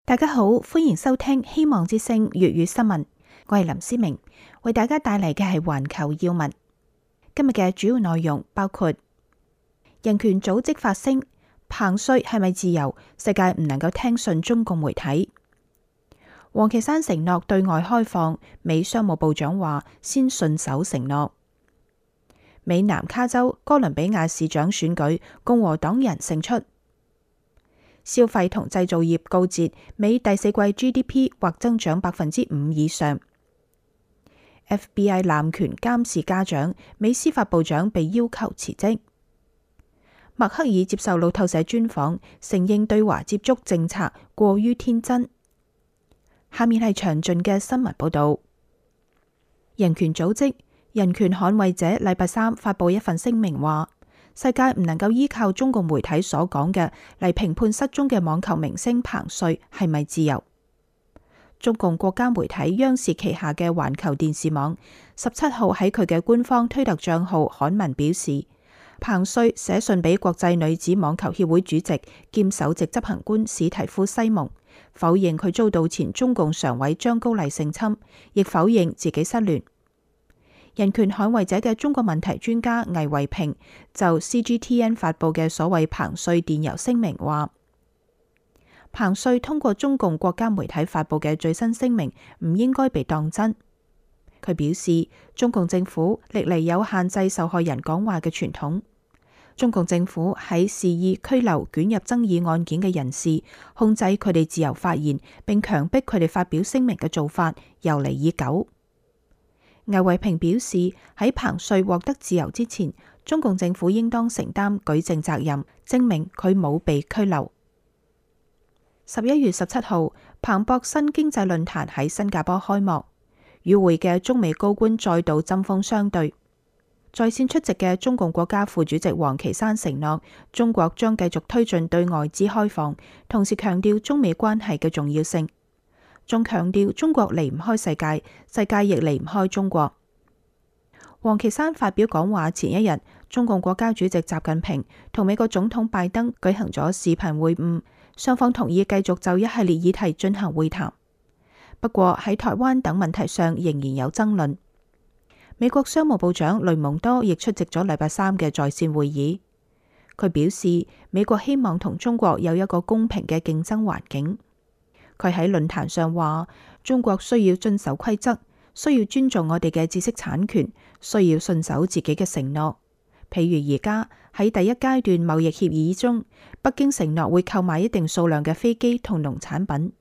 大家好，歡迎收聽希望之聲粵語新聞。我係林思明，為大家帶嚟嘅係環球要聞。今日嘅主要內容包括人權組織發聲，彭帥係咪自由？世界唔能夠聽信中共媒體。王岐山承諾對外開放，美商務部長話先信守承諾。美南卡州哥倫比亞市長選舉，共和黨人勝出。消費同製造業告捷，美第四季 GDP 或增長5%以上。FBI 濫權監視家長，美司法部長被要求辭職。默克爾接受路透社專訪，承認對華接觸政策過於天真。下面係詳盡嘅新聞報道。人權組織人權捍衛者禮拜三發佈一份聲明話，世界唔能夠依靠中共媒體所講嘅嚟評判失蹤嘅網球明星彭帥係咪自由。中共國家媒體央視旗下嘅環球電視網17號喺佢嘅官方推特賬號刊文表示，彭帥寫信俾國際女子網球協會主席兼首席執行官史提夫西蒙，否認佢遭到前中共常委張高麗性侵，亦否認自己失聯。人權捍衛者嘅中國問題專家魏維平就 CGTN 發佈嘅所謂彭帥電郵聲明話，彭帥通過中共國家媒體發佈嘅最新聲明唔應該被當真。佢表示，中共政府歷嚟有限制受害人講話嘅傳統，中共政府喺肆意拘留捲入爭議案件嘅人士，控制佢哋自由發言，並強迫佢哋發表聲明嘅做法由嚟已久。魏維平表示，喺彭帥獲得自由之前，中共政府應當承擔舉證責任，證明佢冇被拘留。11月17號，彭博新經濟論壇喺新加坡開幕，與會嘅中美高官再度針鋒相對。在線出席嘅中共國家副主席王岐山承諾，中國將繼續推進對外資開放，同時強調中美關係嘅重要性。仲強調中國離唔開世界，世界亦離唔開中國。王岐山發表講話前一日，中共國家主席習近平同美國總統拜登舉行咗視頻會晤，雙方同意繼續就一系列議題進行會談。不過喺台灣等問題上仍然有爭論。美國商務部長雷蒙多亦出席咗禮拜三嘅在線會議。佢表示，美國希望同中國有一個公平嘅競爭環境。佢喺論壇上話，中國需要遵守規則，需要尊重我哋嘅知識產權，需要信守自己嘅承諾。譬如而家喺第一階段貿易協議中，北京承諾會購買一定數量嘅飛機同農產品，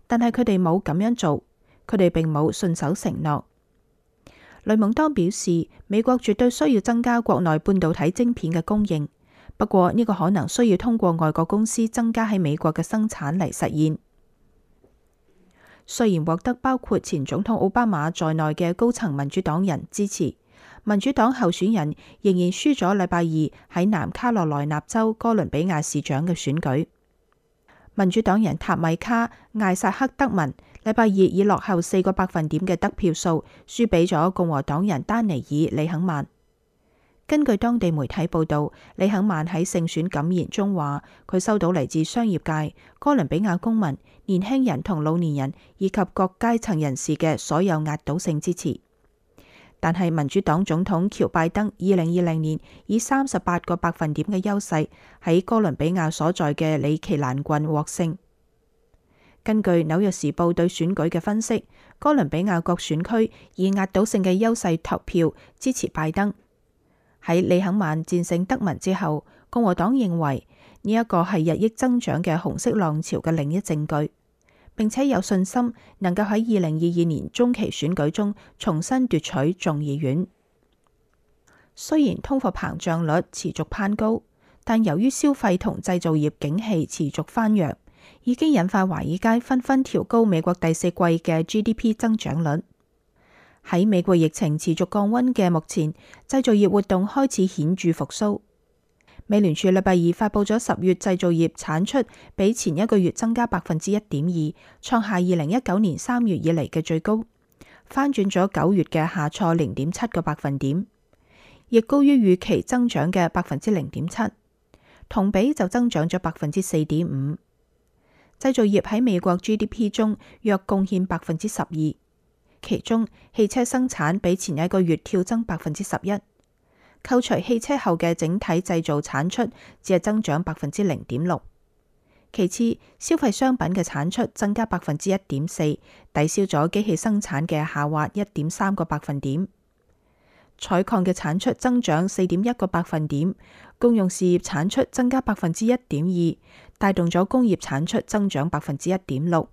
但係佢哋冇咁樣做，佢哋並冇信守承諾。雷蒙多表示，美國絕對需要增加國內半導體晶片嘅供應，不過呢個可能需要通過外國公司增加喺美國嘅生產嚟實現。雖然獲得包括前總統奧巴馬在內嘅高層民主黨人支持，民主黨候選人仍然輸咗禮拜二喺南卡羅來納州哥倫比亞市長嘅選舉。民主黨人塔米卡艾薩克德文禮拜二以落後4個百分點嘅得票數輸俾咗共和黨人丹尼爾李肯曼。根據當地媒體報道，李肯曼喺勝選感言中話，佢收到嚟自商業界、哥倫比亞公民、年輕人同老年人以及各階層人士嘅所有壓倒性支持。但係民主黨總統喬拜登2020年以38個百分點嘅優勢喺哥倫比亞所在嘅里奇蘭郡獲勝。根據紐約時報對選舉嘅分析，哥倫比亞各選區以壓倒性嘅優勢投票支持拜登。喺李肯曼戰勝德文之後，共和黨認為呢一個係日益增長嘅紅色浪潮嘅另一證據，並且有信心能夠喺2022年中期選舉中重新奪取眾議院。雖然通貨膨脹率持續攀高，但由於消費同製造業景氣持續翻揚，已經引發華爾街紛紛調高美國第四季嘅 GDP 增長率。喺美國疫情持續降溫嘅目前，製造業活動開始顯著復甦。美聯儲禮拜二發佈咗10月製造業產出比前一個月增加1.2%，創下2019年3月以嚟嘅最高，翻轉咗9月嘅下挫0.7個百分點，亦高於預期增長嘅0.7%，同比就增長咗4.5%。製造業喺美國 GDP 中約貢獻12%，其中汽車生產比前一個月跳增11%，扣除汽車後嘅整體製造產出只係增長0.6%。其次，消費商品嘅產出增加1.4%，抵消咗機器生產嘅下滑1.3個百分點。採礦嘅產出增長4.1個百分點，公用事業產出增加1.2%，帶動咗工業產出增長1.6%，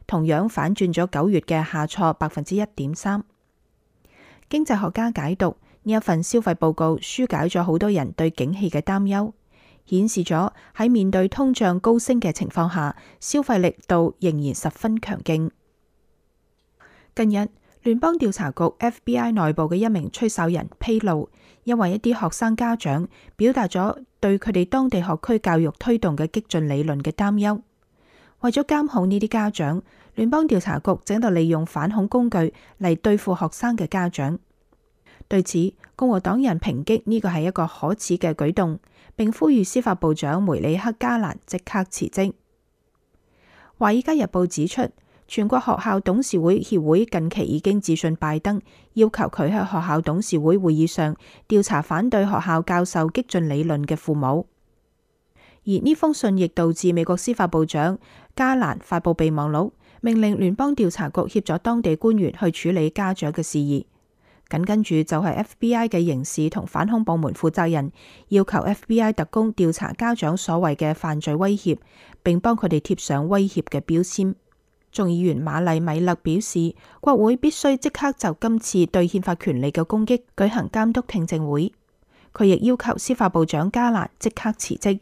同樣反轉咗9月嘅下挫1.3%。經濟學家解讀呢一份消費報告，紓解咗好多人對景氣嘅擔憂，顯示咗喺面對通脹高升嘅情況下，消費力度仍然十分強勁。近日，聯邦調查局 FBI 內部嘅一名吹哨人披露，因為一啲學生家長表達咗對佢哋當地學區教育推動嘅激進理論嘅擔憂，為咗監控呢啲家長，聯邦調查局正喺度利用反恐工具嚟對付學生嘅家長。對此，共和黨人抨擊呢個係一個可恥嘅舉動，並呼籲司法部長梅里克加蘭即刻辭職。華爾街日報指出，全國學校董事會協會近期已經致信拜登，要求佢喺學校董事會會議上調查反對學校教授激進理論嘅父母。而呢封信亦導致美國司法部長加蘭發布備忘錄，命令聯邦調查局協助當地官員去處理家長嘅事宜。緊跟住就係 FBI 嘅刑事同反恐部門負責人要求 FBI 特工調查家長所謂嘅犯罪威脅，並幫佢哋貼上威脅嘅標籤。眾議員瑪麗米勒表示，國會必須即刻就今次對憲法權利嘅攻擊舉行監督聽證會。佢亦要求司法部長加蘭即刻辭職。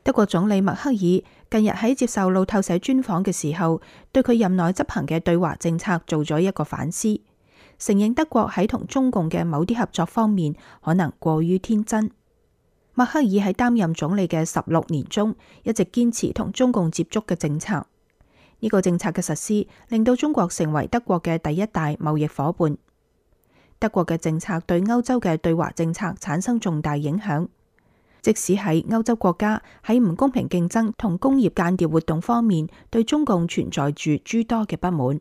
德國總理默克爾近日喺接受路透社專訪嘅時候，對佢任內執行嘅對華政策做咗一個反思，承認德國喺同中共嘅某啲合作方面可能過於天真。默克爾喺擔任總理嘅16年中，一直堅持同中共接觸嘅政策。呢個政策嘅實施，令到中國成為德國嘅第一大貿易夥伴。德國嘅政策對歐洲嘅對華政策產生重大影響。即使係歐洲國家喺唔公平競爭同工業間諜活動方面，對中共存在住諸多嘅不滿。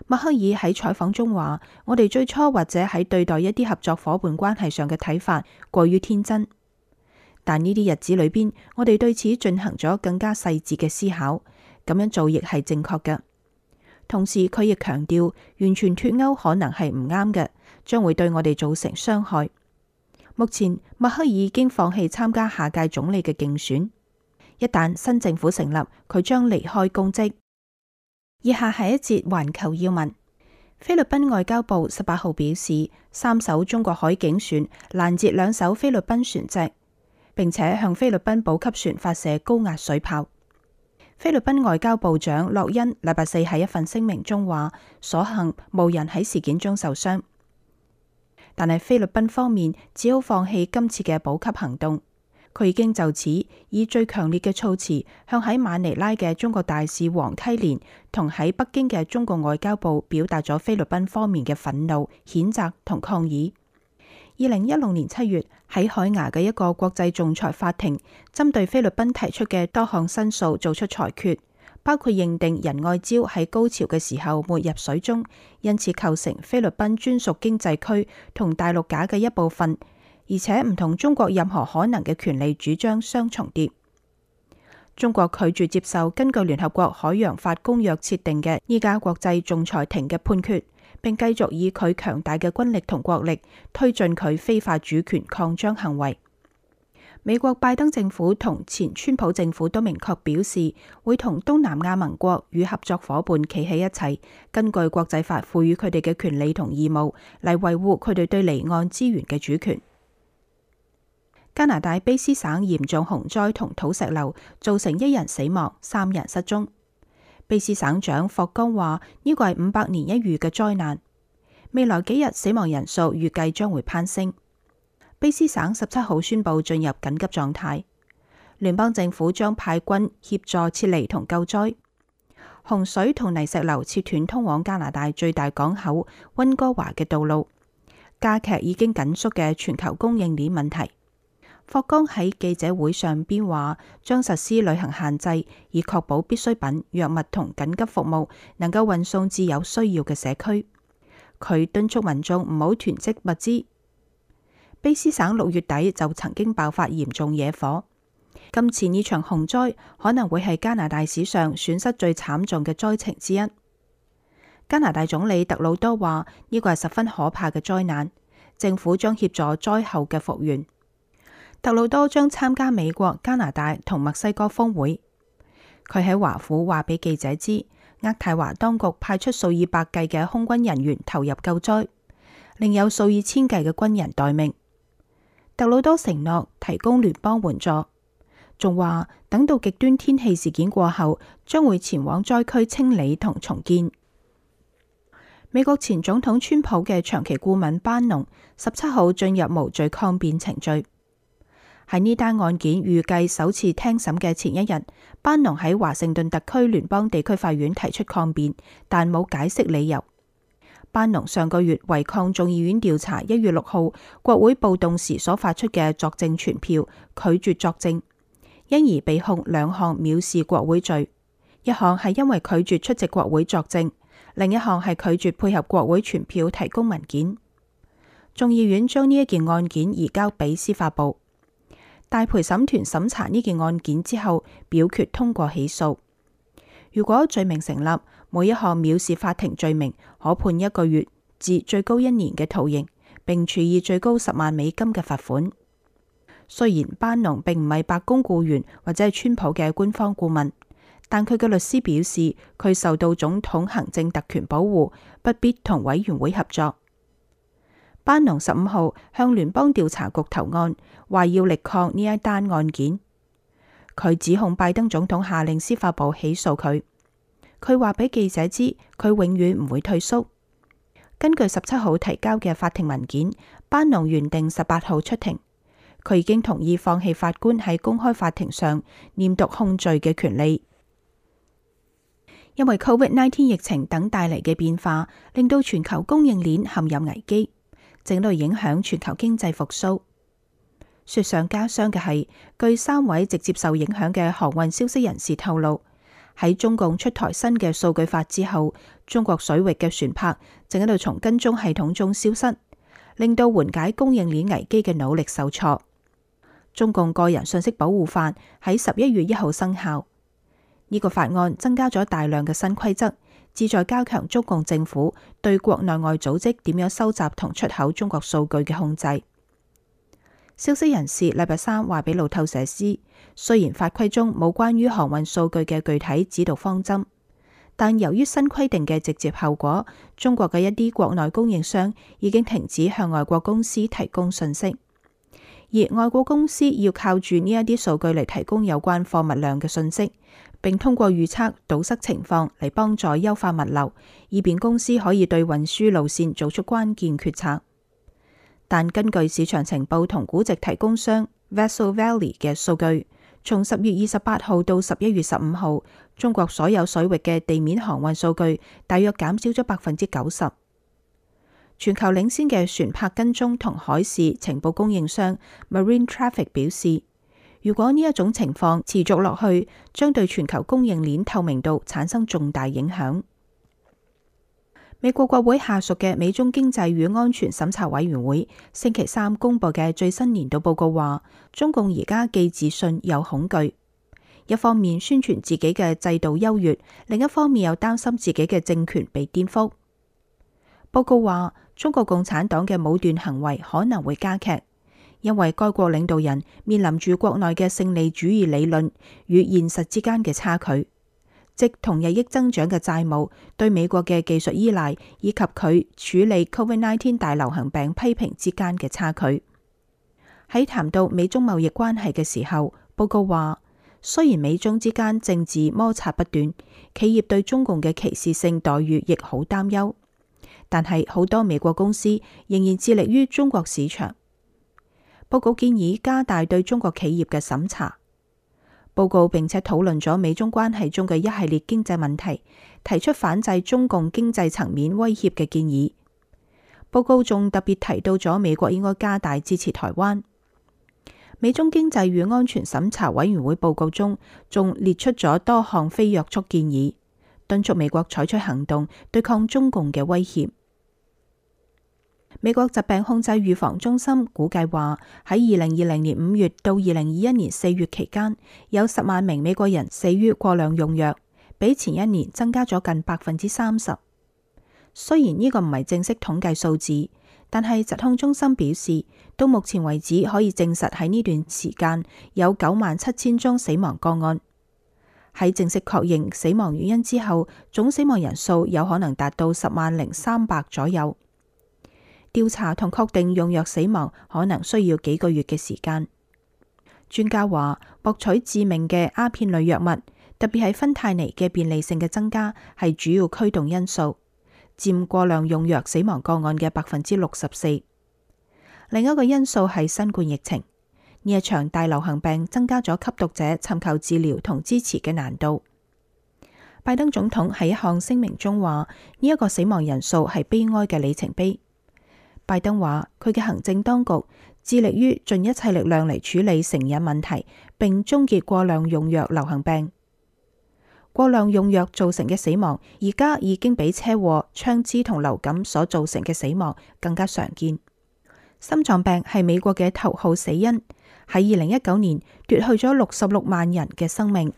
默克爾喺採訪中話：我哋最初或者喺對待一啲合作夥伴關係上嘅睇法過於天真，但呢啲日子裏邊，我哋對此進行咗更加細緻嘅思考，咁樣做亦係正確嘅。同時，佢亦強調，完全脫歐可能係唔啱嘅，將會對我哋造成傷害。目前，默克爾已經放棄參加下屆總理嘅競選。一旦新政府成立，佢將離開公職。以下係一節環球要聞。菲律賓外交部18號表示，3艘中國海警船攔截2艘菲律賓船隻，並且向菲律賓補給船發射高壓水炮。菲律賓外交部長洛恩禮拜四喺一份聲明中話，所幸無人喺事件中受傷。但係菲律賓方面只好放棄今次嘅補給行動。佢已經就此以最強烈嘅措辭向喺馬尼拉嘅中國大使黃溪連同喺北京嘅中國外交部表達咗菲律賓方面嘅憤怒、譴責同抗議。2016年7月喺海牙嘅一個國際仲裁法庭，針對菲律賓提出嘅多項申訴做出裁決，包括認定仁愛礁喺高潮嘅時候沒入水中，因此構成菲律賓專屬經濟區同大陸架嘅一部分，而且唔同中國任何可能嘅權利主張相重疊。中國拒絕接受根據聯合國海洋法公約設定嘅呢家國際仲裁庭嘅判決，並繼續以佢強大嘅軍力同國力推進佢非法主權擴張行為。美國拜登政府同前川普政府都明確表示，會同東南亞盟國與合作夥伴企喺一齊，根據國際法賦予佢哋嘅權利同義務嚟維護佢哋對離岸資源嘅主權。加拿大卑斯省嚴重洪災同土石流，造成1人死亡、3人失蹤。卑斯省長霍岡話：呢個係500年一遇嘅災難，未來幾日死亡人數預計將會攀升。卑斯省17號宣布進入緊急狀態，聯邦政府將派軍協助撤離同救災。洪水同泥石流切斷通往加拿大最大港口溫哥華嘅道路，加劇已經緊縮嘅全球供應鏈問題。霍剛喺記者會上邊話，將實施旅行限制，以確保必需品、藥物同緊急服務能夠運送至有需要嘅社區。佢敦促民眾唔好囤積物資。卑詩省6月底就曾經爆發嚴重野火，今次呢場洪災可能會係加拿大史上損失最慘重嘅災情之一。加拿大總理特魯多話呢個係十分可怕嘅災難，政府將協助災後嘅復原。特魯多將參加美國、加拿大同墨西哥峰會。佢喺華府話俾記者知，渥太華當局派出數以百計嘅空軍人員投入救災，另有數以千計嘅軍人待命。特魯多承諾提供聯邦援助，仲話等到極端天氣事件過後，將會前往災區清理同重建。美國前總統川普嘅長期顧問班農17號進入無罪抗辯程序。喺呢單案件預計首次聽審嘅前一日，班農喺華盛頓特區聯邦地區法院提出抗辯，但冇解釋理由。班農上個月違抗眾議院調查1月6號國會暴動時所發出嘅作證傳票，拒絕作證，因而被控2項藐視國會罪，一項係因為拒絕出席國會作證，另一項係拒絕配合國會傳票提供文件。眾議院將呢一件案件移交俾司法部。大陪審團審查呢件案件之後，表決通過起訴。如果罪名成立，每一項藐視法庭罪名可判1個月至最高1年嘅徒刑，並處以最高$10萬嘅罰款。雖然班農並唔係白宮僱員或者係川普嘅官方顧問，但佢嘅律師表示，佢受到總統行政特權保護，不必同委員會合作。班農15號向聯邦調查局投案，話要力抗呢一單案件。佢指控拜登總統下令司法部起訴佢。佢話俾記者知，佢永遠唔會退縮。根據17號提交嘅法庭文件，班農原定18號出庭。佢已經同意放棄法官喺公開法庭上念讀控罪嘅權利，因為 COVID-19 疫情等帶嚟嘅變化，令到全球供應鏈陷入危機，正在影響全球經濟復甦。雪上加霜嘅係，據3位直接受影響嘅航運消息人士透露，喺中共出台新嘅數據法之後，中國水域嘅船舶正喺度從跟蹤系統中消失，令到緩解供應鏈危機嘅努力受挫。中共個人信息保護法喺11月1號生效，呢個法案增加咗大量嘅新規則，旨在加強中共政府對國內外組織點樣收集同出口中國數據嘅控制。消息人士禮拜3話俾路透社知，雖然法規中冇關於航運數據嘅具體指導方針，但由於新規定嘅直接後果，中國嘅一啲國內供應商已經停止向外國公司提供信息，而外國公司要靠住呢一啲數據嚟提供有關貨物量嘅信息，並通過預測堵塞情況嚟幫助優化物流，以便公司可以對運輸路線做出關鍵決策。但根據市場情報同估值提供商 Vessel Valley 嘅數據，從10月28號到11月15號，中國所有水域嘅地面航運數據大約減少咗90%。全球領先嘅船舶跟蹤同海事情報供應商 Marine Traffic 表示，如果呢一種情況持續落去，將對全球供應鏈透明度產生重大影響。美國國會下屬嘅美中經濟與安全審查委員會星期3公布嘅最新年度報告話，中共而家既自信又恐懼，一方面宣傳自己嘅制度優越，另一方面又擔心自己嘅政權被顛覆。報告話，中國共產黨嘅武斷行為可能會加劇，因為該國領導人面臨住國內嘅勝利主義理論與現實之間嘅差距，即同日益增長嘅債務、對美國嘅技術依賴以及佢處理 COVID-19 大流行病批評之間嘅差距。喺談到美中貿易關係嘅時候，報告話，雖然美中之間政治摩擦不斷，企業對中共嘅歧視性待遇亦好擔憂，但係好多美國公司仍然致力於中國市場。報告建議加大對中國企業嘅審查。報告並且討論咗美中關係中嘅一系列經濟問題，提出反制中共經濟層面威脅嘅建議。報告仲特別提到咗美國應該加大支持台灣。美中經濟與安全審查委員會報告中仲列出咗多項非約束建議，敦促美國採取行動對抗中共嘅威脅。美國疾病控制預防中心估計話，喺2020年5月到2021年4月期間，有10萬名美國人死於過量用藥，比前一年增加咗近30%。雖然呢個唔係正式統計數字，但係疾控中心表示，到目前為止可以證實喺呢段時間有97000宗死亡個案。喺正式確認死亡原因之後，總死亡人數有可能達到100300左右。調查同確定用藥死亡可能需要幾個月嘅時間。專家話，獲取致命嘅鴉片類藥物，特別係芬太尼嘅便利性嘅增加係主要驅動因素，佔過量用藥死亡個案嘅64%。另一個因素係新冠疫情，呢一場大流行病增加咗吸毒者尋求治療同支持嘅難度。拜登總統喺一項聲明中話，呢一個死亡人數係悲哀嘅里程碑。拜登話，佢嘅行政當局致力於盡一切力量嚟處理成癮問題，並終結過量用藥流行病。過量用藥造成嘅死亡，而家已經比車禍、槍支同流感所造成嘅死亡更加常見。心臟病係美國嘅頭號死因，喺2019年奪去咗66萬人嘅生命。